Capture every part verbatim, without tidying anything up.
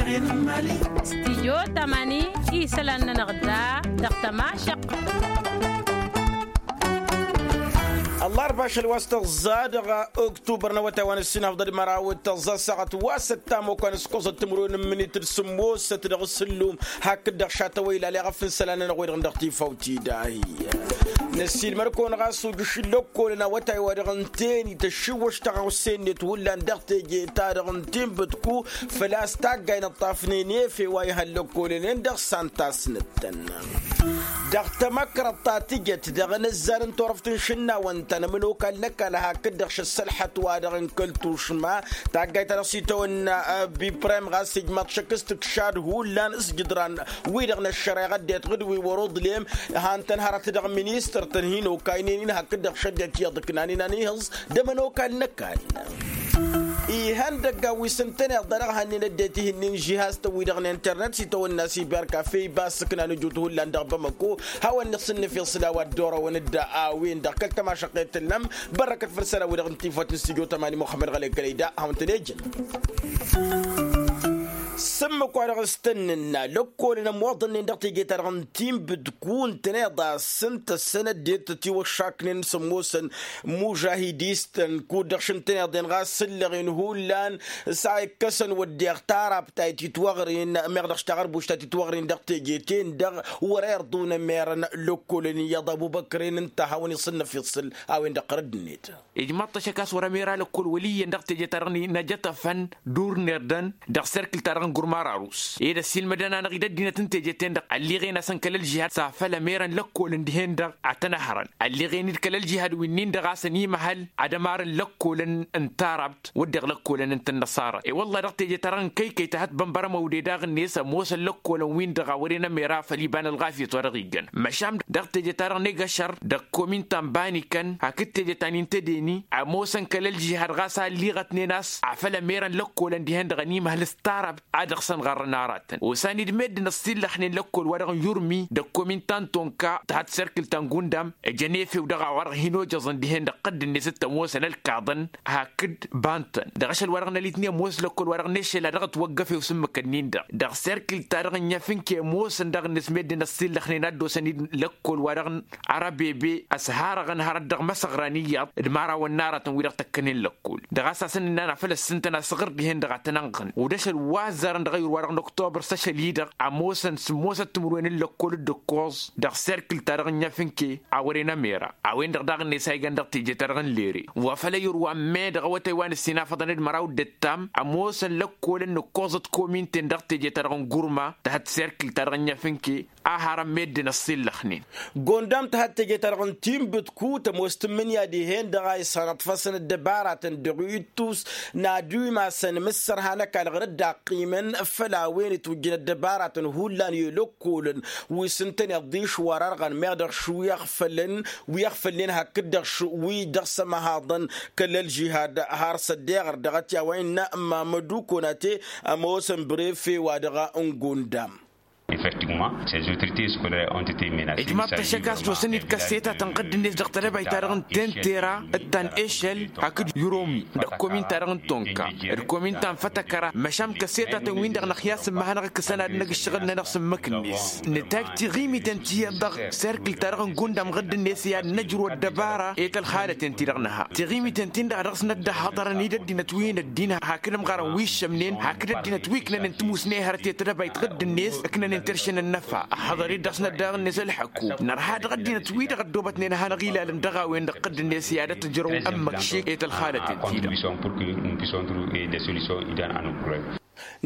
Stidyo tamani isălan-nănăɣ da dăɣ-tămašăq. Ăllarba ašăl wa s-tăẓẓa dăɣ-oktubăr n-awătay wa n-ǝssin afḍăd măraw d-tăẓẓa ăssaɣăt wa s-ăttam okănăs kăẓăt timǝrwen n-minit d-sǝmmosăt dăɣ-s ǝllum hakd-dăɣ šatăwăyla aleɣ a fǝnsălan-nănăɣ wi-dăɣ n-dăɣ-tifawt-i dahi. Năssiilmăr-kăwăn ɣas ujǝš n-lăkkolăn awătay wa dăɣ-ǝnta eni tăššiwwăš taɣăwse-net hullan dăɣ-teje-ta-dăɣ n-tinbǝtku făl-a-s taggay n-ǝṭṭafnen efew a ihăn lăkkolăn-en dăɣ-san tasnăt-tăn. Dăɣ-tamăkrăḍt ta tǝjăt dăɣ-inǝzzar n-turăft n-išǝnnawăn ta n-ămănokal n-ăkall hakd-dăɣ šăssălḥăt-wa-dăɣ n-kăl-tušma taggayt ta dăɣ-s itawănna. Biprem ɣas ijmaḍ šăkk s-tǝkšad hullan s-jǝdran-wi-dăɣ n-ăššăreɣăt d-itɣǝd wi wăr-uḍlem han-tăn hărăt dăɣ-ministăr-tăn hin-okaynen-in hakd-dăɣ šăddet iyyăḍ ǝknan-in a n-ihǝẓ d-ămănokal n-ăkall. Ihăndăggan wi s-ǝntăneḍ dăr-ăɣhănnen ăddinăt ihǝnnin žihaz-tăn-wi-dăɣ n-internet s-itawănna siberkafe iba ăssǝknan ǝjut hullan dăɣ-bamăko. Hawăn-dd-sǝnnǝf iṣla wa dd-orăwăn-dd a-wen-dăɣ kăl-tămašăqqet tǝllăm bărrăkăt făll-isălan wi-dăɣ n-tifawt n-stujo tămani muxămmăd ɣălay kălăy da hawăn-tăn-ejăn. S-ǝmmǝk-wa-dăɣ s-tăn-nǝnna lăkkolăn ămoḍănnen dăɣ-teje-ta-dăɣ n-tinbǝdku ǝntăneḍ a-s ǝnta ăssănăddet tătiwăššaknen s-ămoosăn mužahidis-tăn kud-dăɣ šǝntăneḍ-en ɣas sǝllăɣen hullan. S-a ikkăsăn wădden tarabta i-titwăɣren meɣ dăɣ-s taɣărbušt ta titwăɣren dăɣ-teje-ten-dăɣ wăr-irḍun ămerăn lăkkolăn iyyăḍ abubăkren ǝnta a hawăn-iṣǝnnăf iṣǝl a-wen-dăɣ ɣărădd-net. Ijmaḍ-t ašăk a-s wăr-ămera lăkkol wăl' iyyăn dăɣ-teje-ta-dăɣ n-ajătăfăn dur n-irdăn dăɣ-serkǝl-ta-dăɣ n-gurma rarus ed ăssiilmădăn-anăɣ-dd ăddinăt n-teje-ten-dăɣ ălliɣen-asăn kăl-ălžihad s-afăl ămerăn lăkkolăn dihen-dăɣ a tăn-ăhrăn ălliɣen-dd kăl-ălžihad winnin-dăɣ a-s ănimăhăl ad-ămarăn lăkkolăn n-tarabt wădden lăkkolăn n-tănnăṣara i-wălla dăɣ-teje-ta-dăɣ n-kăy-kăy tăhăt bănbărămăw de daɣ-net ămoosăn lăkkolăn-win-dăɣ a wăren ămera făll-iba n-ălɣafyăt wa dăɣ-iggăn măšan dăɣ-teje-ta-dăɣ n-egăšăr dăɣ-komin ta n-banikăn hakd teje ta n-intădeni ămoosăn kăl-ălžihad ɣas a ălliɣătnen a-s afăl ămerăn lăkkolăn dihen-dăɣ ănimăhăl s-tarabt a dăɣ-săn ɣărrăn aratăn osan-dd meddǝn ăssillăxnen lăkkol-wa-dăɣ n-yurmi dăɣ-komin ta n-tonka tăhăt serkǝl ta n-gundam ǝjăn efew dăɣ-a-wa-dăɣ hin-ojăẓăn dihen-dăɣ tădd-net t-ămoosăn ălkaḍăn hakd bantăn dăɣ-ašăl-wa-dăɣ n-alitnen ămoos lăkkol-wa-dăɣ n-eššel a dăɣ-ătwăggăfew s-ǝmmǝk-ǝnnin-dăɣ dăɣ-serkǝl-ta-dăɣ n-inyafǝnke ămoosăn daɣ-net meddǝn ăssillăxnen a dd-osăn-dd lăkkol-wa-dăɣ n-arăbebe ăshărăɣăn hărăt dăɣ-imăsăɣran iyyăḍ d-imărawăn n-aratăn wi-dăɣ tăkkănen lăkkol dăɣ-a-s a-s ănnan afăl ăssintăn asăɣr dihen-dăɣ a tăn-ănɣăn. Wăr dăɣ-ašăl wa ăzzarăn dăɣ-ayǝr-wa-dăɣ n-oktobăr s-ašăl-i-dăɣ ămoosăn sǝmmosăt timǝrwen n-lăkkol d-ǝkkoẓ dăɣ-serkǝl-ta-dăɣ n-inyafǝnke a wăren ămera a-wen-dăɣ daɣ-net a igan dăɣ-teje-ta-dăɣ n-lere wa făl ayǝr wa n-me dăɣ-awătay wa n-ǝssin afăḍăn d-măraw d-ǝttam ămoosăn lăkkolăn n-ǝkkoẓăt kominten dăɣ-teje-ta-dăɣ n-gurma tăhăt serkǝl-ta-dăɣ n-inyafǝnke a harăn meddǝn ăṣṣillăxnen. Gondam tăhăt teje-ta-dăɣ n-tinbǝtku tămoos tǝmmǝnǝya dihen-dăɣ a isănăḍfăsăn ăddăbaratăn dăɣ-ittus n-ad-imasăn mǝssărha n-ăkall ɣur-dd-ăqqimăn făll-a-wen itwǝjjǝn ăddăbaratăn hullan i-lăkkolăn wi s-ǝntăneḍ d-išwar ărɣăn meɣ dăɣ-š wi ăɣfălăn wi ăɣfălnen hakd-dăɣ š wi dăɣ-s ămăhaḍăn kăl-ălžihad har s-ăddeɣăr dăɣ-ătya wa innă mamădu konate ămoosăn brefe-wa-dăɣ n-gondam. Effectivement, ces autorités scolaires ont été menacées. Ijmaḍ-t ăššăk a-s dd-osăn-dd kăssetatăn ɣǝdd-net dăɣ-tedăbayt-ta-dăɣ n-tentera d-ta n-ešăl hakd yuromi dăɣ-komin-ta-dăɣ n-tonka d-komin ta n-fătăkăra măšan kăssetatăn-win-dăɣ năxyas n-imăhănăɣ ǝkkǝsăn ad-năgg ǝššăɣǝl-nănăɣ s-ǝmmǝk-net. Nǝtag tiɣimiten ti iyyăḍ dăɣ-serkǝl-ta-dăɣ n-gundam ɣǝdd-net i-ad-nǝjrǝw ăddăbara i-tălxalăten-ti-dăɣ nǝha tiɣimiten-tin-dăɣ a dăɣ-s năddăhhăḍărăn-dd ăddinăt wi n-ăddin hakd ămɣarăn wi ǝššămnen hakd ăddinăt wi ǝknănen tǝmusne hărăt i-tedăbayt ɣǝdd-net ǝknănen terše n-ănnăfa ăhhăḍăr-dd dăɣ-s năddaɣ-net ălḥăkku nărha dăɣ-ăddinăt wi-dăɣ ăddoobătnen ad-hanăɣ-ilalăn dăɣ-a-wen-dăɣ ɣǝdd-net i-ad-ătjărăw ămmăkšek i-tălxalăten-ti-dăɣ.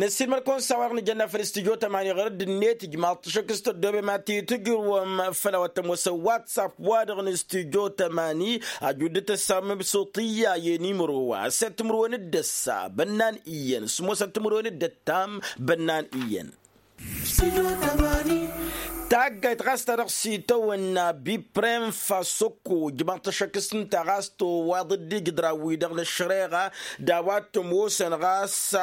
Năssiilmăd-kăwăn s-a-wa-dăɣ nǝjănna făll-studyo tămani ɣur-dd-net ijmaḍ-t ašăk s-tăddoobem ad-t-tǝjrǝwăm făll-a-wa t-ămoosăn whatsapp-wa-dăɣ n-studyo tămani. Ajud d-tăssamăm s-oṭiyya i-nimăro wa s-e-d timǝrwen d-ăssa bănnan iyyăn s-ămoosăn timǝrwen d-ăttam bănnan iyyăn. Studyo tămani. Taggayt ɣas ta dăɣ-s itawănna biprem fasoko ǝjmaḍ-t ăššăk s-ǝnta ɣas tăwaḍ-dd ijǝdran-wi-dăɣ n-ăššăreɣa d-a-wa t-ămoosăn ɣas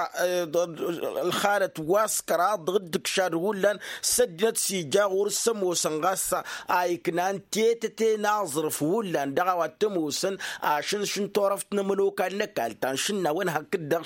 ălxalăt wa s-kăraḍ dăɣ-dd-ǝkšad hullan s-ăddinăt s-ija ɣur-s ămoosăn ɣas a iknan tetăte n-aẓrǝf hullan dăɣ-a-wa t-ămoosăn ašǝnš n-turăft n-ămănokal n-ăkall ta n-išǝnnawăn hakd-dăɣ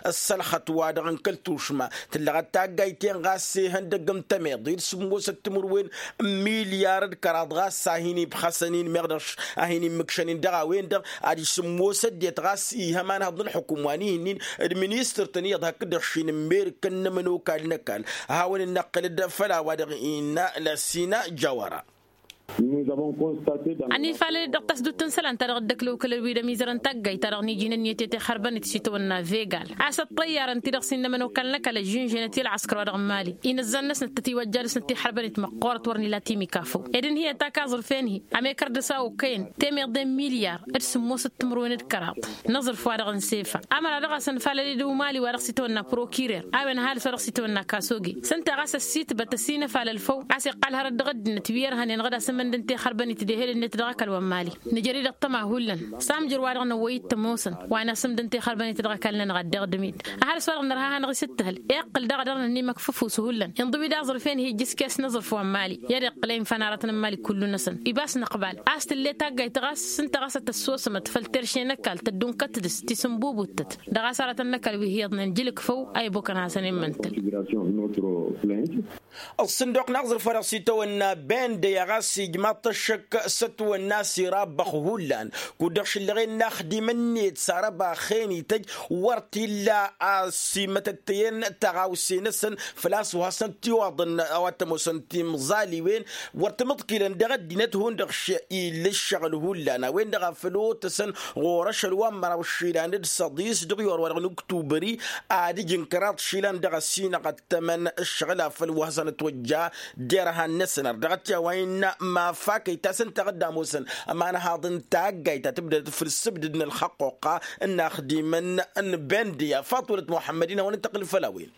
s-ălxăt-wa-dăɣ n-kăl-tušma. Tǝllăɣăt taggayt-en ɣas ihăndăgg n-tămiḍe d-sǝmmosăt timǝrwen n-milyar d-kăraḍ ɣas a hin-ibxasăn-in meɣ dăɣ-š a hin-immǝkšăn-in dăɣ-a-wen-dăɣ ad-ijsǝmmos ăddinăt ɣas ih' ămanhăḍ n-ălxukǝm wa n-ihǝnnin d-ministăr-tăn iyyăḍ hakd-dăɣ šin n-merkăn n-ămănokal n-ăkall. Ad-hawăn-in-năqqǝlăd făll-a-wa-dăɣ innă lăssină jawăra. Ănifalăl-dd dăɣ-tasdut n-isălan-ta-dăɣ dd-ăklăwkălăd wi d-ămizărăn taggayt-ta-dăɣ n-iji n-ǝnniyăt i-tixărbănet s-itawănna vegal a-s ăṭṭăyyarăn-t-dăɣ s-innă ămănokal n-ăkall ăžžǝnžănăt i-ălɣăskăr wa dăɣ-n mali inǝzzan-năsnăt tătiwăjja dăɣ-snăt tixărbănet măqqoorăt wăr n-ila timikafăw ed ǝnhǝyăt ak aẓrǝf-en-hi ămekăr dăɣ-s a okăyăn temeḍe n-milyar d-sǝmmosăt timǝrwen d-kăraḍ n-aẓrǝf-wa-dăɣ n-sefa. Ămăra dăɣ-asăn falăl-dd umali wa dăɣ-s itawănna prokirer a-wen ăhalǝs wa dăɣ-s itawănna kasoge s-ǝnta ɣas ăssitbăt ăsinăfalăl făw a-s iqqal hărăt dăɣ-ăddinăt wi ărhănen ɣǝd-asăn imǝndăn tixărbănit d-ehel-net dăɣ-ăkall wa n-mali. Nǝjăr-i-dăɣ tăma hullan s-amjăr wa dăɣ-năwwăy-dd tămoosăn wa n-asǝmdăn tixărbănit dăɣ-ăkall-nănăɣ ad-deɣ dămit. Ăhalǝs wa dăɣ-nărha hanăɣ-s ǝttǝhǝl iqqǝl daɣ dăɣ-nănimăkfăf usǝhullan inḍǝw-dd aẓrǝf-en-hi ǝjjǝs kes n-aẓrǝf wa n-mali i-ad-iqqǝl a infa n-aratăn n-mali kullu-năsăn ibas năqbal a-s tǝlle taggayt ɣas s-ǝnta ɣas ad-tăssosămăt făll-terše n-ăkall tăddunkăt dăɣ-s tisǝnbubut-tăt dăɣ-a-s aratăn n-ăkall wi hi-iyyăḍnen jǝlǝkfăw a ibokăn hasăn-in măntǝl. Ăṣṣǝnduq n-aẓrǝf wa dăɣ-s itawănna bende i-ɣas ijmaḍ-t ăššăk s-ătwănna s-irabbăx hullan kud-dăɣ šǝllăɣen n-axdimăn-net s-arăbaxen ităjj wăr t-illa a-s imătăttăyăn tăɣawse-năsăn făl-a-s wa hasăn-t-iwaḍăn a-wa t-ămoosăn timẓaliwen wăr tǝmǝḍkilăn dăɣ-ăddinăt hundăɣ š-illa ǝššăɣǝl hullan a-wen-dăɣ a făl otăsăn ɣur-ašăl wa n-măraw išilan d-săḍis dăɣ-iwăr wa dăɣ-nuktubări ad-ǝjǝn kăraḍ išilan dăɣ-ăsinăɣ ăttămăn ǝššăɣǝl a făl wa hasăn-ătwăjja derhan-năsăn ărdăɣăt i-a-wa innă mafakăy ta s-ǝnta ɣǝdda ămoosăn ămanhaḍ n-taggayt ta tǝbdădăt făll-ǝssǝbdǝd n-ălxăqquqa n-inaxdimăn n-bendiya faṭulăt muḥămmăd-in hawăn-dd-tăqqǝl făll-a-wen.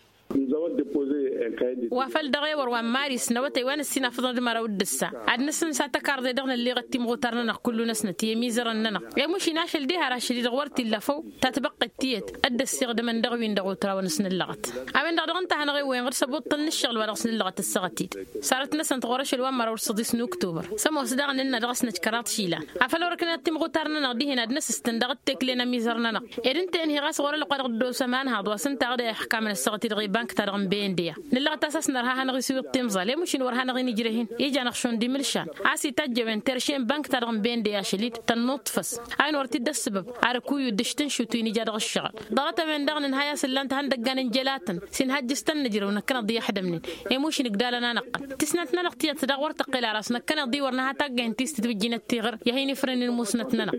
Wa făl dăɣ-ewăr wa n-maris n-awătay wa n-ǝssin afǝḍăn d-măraw d-ǝssa ad-nǝsǝnsa tăkarḍe dăɣ-nălleɣăt timɣutar-nănăɣ kullu-năsnăt i-ămizărăn-nănăɣ i-mušin ašăl diha rašăl-i-dăɣ wăr t-illa făw ta tibăqqet tiyyăt dd-ăssiɣdămăn dăɣ-win-dăɣ otraw a nǝsnǝllăɣăt. A-wen-dăɣ dăɣ-ǝnta a hanăɣ-ewwăyăn ɣǝr-s ăbuṭṭăl n-ǝššăɣǝl wa dăɣ-s nǝllăɣăt ăssaɣăt-dd sărăt-năsăn tɣur-ašăl wa n-măraw d-săḍis n-uktubăr s-ămoos daɣ nǝnna dăɣ-s năj kăraḍ išilan afăl wăr ǝknăyăt timɣutar-nănăɣ dihen ad-năsǝstăn dăɣ-dd-tekle n-ămizăr-nănăɣ ed ǝnta-en hi-ɣas ɣur-ălwăqq wa dăɣ-dd-osa ămanhaḍ wa s-ǝnta a ɣǝd a ixkamăn ăssaɣăt-i-dăɣ i-bank-ta-dăɣ n-bendeya. Nǝllăɣăt a-s a-s nărha ad-hanăɣ-isiwǝḍ timẓal i-mušin wăr hanăɣ-inǝjreh-in ija-năɣ šund imǝlšan a-s itajj a-wen terše n-bank-ta-dăɣ n-bendeya ašăl-dd tănnuṭṭfăs a-wen wăr t-dd-ăssǝbăb ad-ăkuy udǝš tǝnšut wi n-ija dăɣ-ǝššăɣǝl. Ḍaɣăt a-wen-dăɣ nǝnhăy a-s ǝllan-t ihăndăggan n-jălatăn s-inhăjjǝs-tăn nǝjrăw năkkăneḍ i-ăḥdămnen i-mušin ǝgdalăn-anăɣ-tăn tisnat-nănăɣ tiyyăt dăɣ-wăr tăqqel ara s-năkkăneḍ-i wăr nǝha taggaynt ti s-tǝtwǝjjinăt tiɣăr i-ad-hin-ifrǝnnin musnăt-nănăɣ.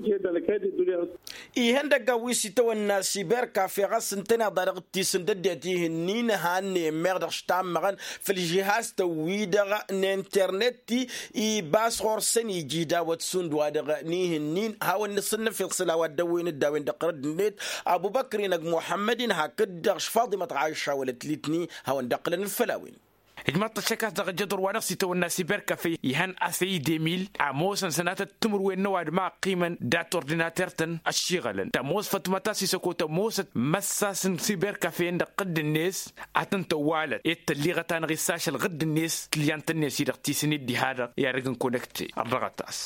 Ihăndăggan wi s-itawănna siberkafe ɣas ǝntăneḍ-a-dăɣ d-tisǝnd ăddinăt ihǝnnin hannăyăn meɣ dăɣ-s tammăɣăn făll-žihaz-tăn-wi-dăɣ n-internet-i ibas ɣur-săn iji dawăt šund wa-dăɣ n-ihǝnnin hawăn-nǝsǝnnăf iḍsǝl a-wa dd-ăwwăyăn dd-a-wen-dăɣ ɣărădd-net. Abubăkr-in ăgg muḥămmăd-in hakd-dăɣ š-faḍimăt ɣayša wălăt litni hawăn-dd-ăqqǝlăn făll-a-wen. Ijmaḍ-t ăššăk a-s dăɣ-ejăḍur wa dăɣ-s itawănna siberkafe ihăn asăy demil ămoosăn sănatăt timǝrwen n-ăwadǝm a ăqqimăn dat-ordinater-tăn ăššiɣălăn tămoos fătmăt a-s isăko tămoosăt măssas n-siberkafe-en dăɣ-tădd-net ad-tăn-tăwwalăt ed tălliɣăt-anăɣ-issa ašăl ɣǝdd-net tǝllyant-net-i-dăɣ tisǝn-dd diha-dăɣ i-ad-ăgg n-konăkte. Ărrăɣăt-as.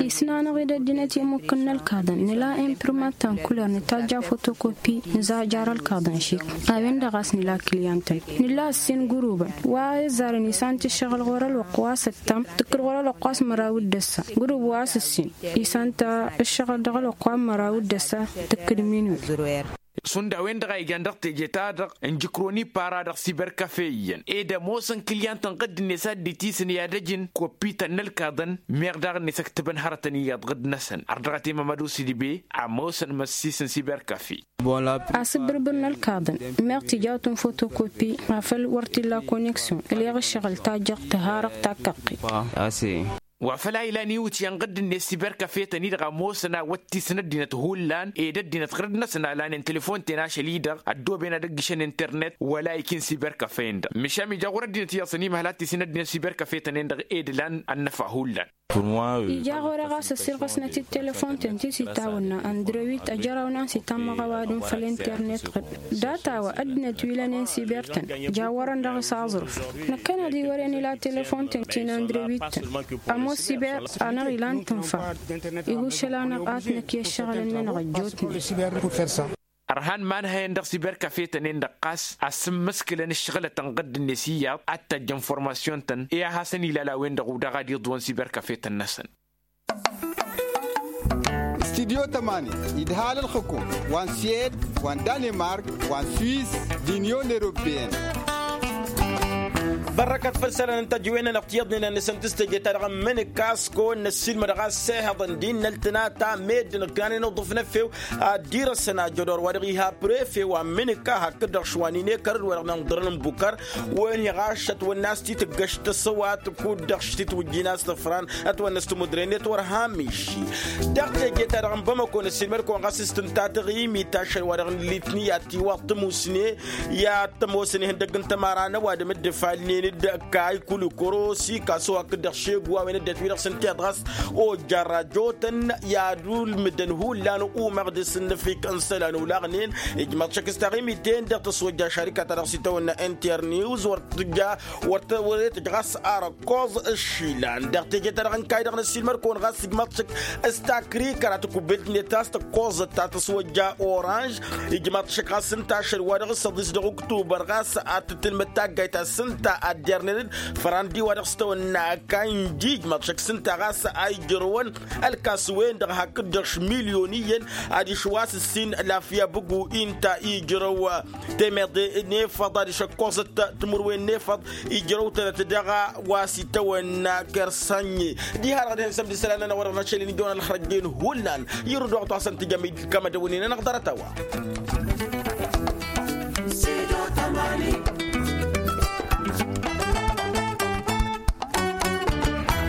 Tisna-năɣ-dd ăddinăt i-ămmukkǝn n-ălkaḍăn nǝla imprimat ta n-kuler nǝtajj afotokoppi nǝzajjar ălkaḍăn šik. A-wen-dăɣ a-s nǝla kǝlyantăn nǝla ǝssin gurubăn wa ăzzarăn isant ǝššăɣǝl ɣur-ălwăqq wa s-ăttam tǝkkǝd ɣur-ălwăqq wa s-măraw d-ăssa gurub wa s-ǝssin isant ǝššăɣǝl dăɣ-ălwăqq wa n-măraw d-ăssa tǝkkǝd minwi. Šund a-wen-dăɣ a ijan dăɣ-teje-ta-dăɣ n-jǝkroni para dăɣ-siberkafe iyyăn ed ămoosăn kǝlyantăn ɣǝdd-net a dd-itisǝn i-ad-ăjǝn koppităn n-ălkaḍăn meɣ daɣ-net ăktăbăn hărătăn iyyăḍ ɣǝdd-năsăn ărdăɣăt i-mămădu s-idbe. Ămoosăn măssisăn siberkafe. Asǝbbǝrbǝr n-ălkaḍăn meɣ tijawt n-fotokopi afăl wăr t-illa koneksyon ăleɣ ǝššăɣǝl tajjăɣt tǝharăɣ takkăqqit. Wa făl a ilan iwǝtyan ɣǝdd-net siberkafetăn-i-dăɣ ămoosăn a wăttisăn ăddinăt hullan ed ăddinăt ɣǝrǝd-năsăn a lanen telefon-ten ašăl-i-dăɣ ăddooben ad-ăgg-išăn internet wăla ikin siberkafe-en-dăɣ. Măšan ija ɣur-ăddinăt iyyăḍ săn imăhăl ad-tisǝn ăddinăt siberkafe-tăn-en-dăɣ ed ǝlan ănnăfa hullan. Ija ɣur-e ɣas ăssirɣăsnăt-dd telefon-ten ti s-itawănna andrewit ăjăraw n-a-s itammăɣ ăwadǝm făll-internet ɣǝd data wa ăddinăt wi lănen siber-tăn. Jawărăn dăɣ-s aẓrǝf năkkăneḍ-i wăren ila telefon-ten ti n-andrewit-tăn. Ămoos siber-anăɣ ilan tǝnfa. Ihuššăl-anăɣ ad-t-năkk i-ăššăɣǝlăn-nănăɣ ăjjootnen. Ărhan ma n-hăyăn dăɣ-siberkafetăn-en-dăɣ ɣas asǝmmǝskǝlăn ǝššăɣǝlătăn ɣǝdd-net iyyăḍ ad-tajjăn formasyon-tăn i-ad-hasăn-ilal a-wen-dăɣ udaɣ ad-iḍwăn siberkafetăn-năsăn. Studyo tămani idhal ălxǝkum wa n-swed wa n-danemark wa n-swiss d-inyon europeyăn. Bărrăkăt făll-isălan n-tăjjǝwen-nănăɣ tiyyăḍnen a n-nǝsăn tǝstăje-ta-dăɣ ămmǝnǝk a-s kăwăn-năssiilmăd ɣas s-ehăḍăn d-innăl tănata meddǝn ǝknanen uḍǝf n-efew ad-dd-irăsăn ajădor wa dăɣ-iha prefe wa n-mǝnǝka hakd-dăɣ šwa n-inekărăd wa dăɣ-nănḍărăn n-bukăr. Wen-hi ɣašăt wănn'-as titǝggăš tăsăwat kud-dăɣ štit wǝjjin a-s tăfran ătwănnăs timudre-net wăr hamiši. Dăɣ-teje-ta-dăɣ n-bamăko năssiilmăd-kăwăn ɣas s-tǝnta taɣimit ašăl wa dăɣ-nǝllitni i-ad-tiwaḍ tămusne i-ad-tămoosăn ihăndăgg n-tămara n-ăwadǝm dd-ǝfalnen d-kay kulikorosi kasăw hakd-dăɣ šegu a-wen ăddinăt wi-dăɣ s-ǝnta iyyăḍ ɣas ojja ărrajotăn i-ad-ulmǝdăn hullan umăɣ dăr-s ǝnnăfik n-isălan olaɣnen. Ijmăḍ šăkk s-taɣimit-en-dăɣ tăswăjja šarika-ta-dăɣ s-itawănna n-terniwz wăr tǝjja wăr tǝjja ɣas arăkkoẓ ǝššilan dăɣ-teje-ta-dăɣ n-kayy-dăɣ n-ăssiilmăd-kăwăn ɣas ǝjmăḍ šăkk s-takrikăra tăkubbelt-net a-s tăkkoẓăt ta tăswăjja oranž. Ijmăḍ šăkk ɣas ǝnta ašăl wa dăɣ-s ăḍis dăɣ-uktubăr ɣas ad-tǝtǝlmǝd taggayt ta s-ǝnta ad-dernen-dd fărandi wa dăɣ-s tăwănna kayy n-dij ijmăḍ šăkk s-ǝnta ɣas a ijrăwăn ălkas-wen-dăɣ hakd-dăɣ š-milyon iyyăn adiš wa s-ǝssin lafya bǝgu-i ǝnta ijrăw temeḍe n-efăḍ adiš ăkkoẓăt timǝrwen n-efăḍ ijrăw-tănăt dăɣ-a wa s-itawănna kăr-sănye. Diha-dăɣ dăɣ-hin-sămd isălan-nănăɣ wa dăɣ-năšăl inijon ălxărăjjen hullan irǝd wa ɣ-twa-săn tǝjăm idǝl kămădăwăn-in-nănăɣ ḍarăt-a-wa.